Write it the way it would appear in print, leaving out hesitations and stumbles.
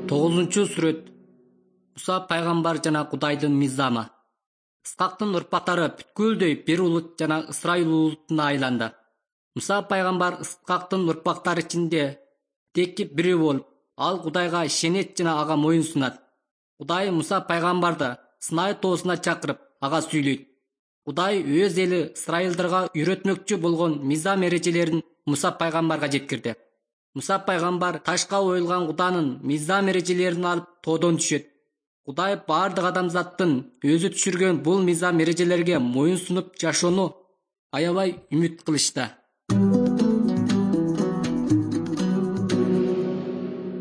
9-сүрөт. Муса пайгамбар жана Кудайдын мыйзамы. Исхактын урпактары бүткүлдөй бир улут жана Ысрайыл улутуна айланды. Муса пайгамбар Исхактын урпактары ичинде текки бири болуп, ал Кудайга ишенет жана ага моюн сунат. Кудай Муса пайгамбарды Сынай тоосуна чакырып, ага сүйлөйт. Кудай өз эли Ысрайылдарга үйрөтмөкчү болгон мыйзам эрежелерин Муса пайгамбарга жеткирди. Муса пайгамбар ташка оюлган Куданын мыйзам эрежелерин алып тоодон түшөт. Кудай баардык адамзаттын өзү түшүргөн бул мыйзам эрежелерге моюн сунуп жашоону аябай үмүт кылышты.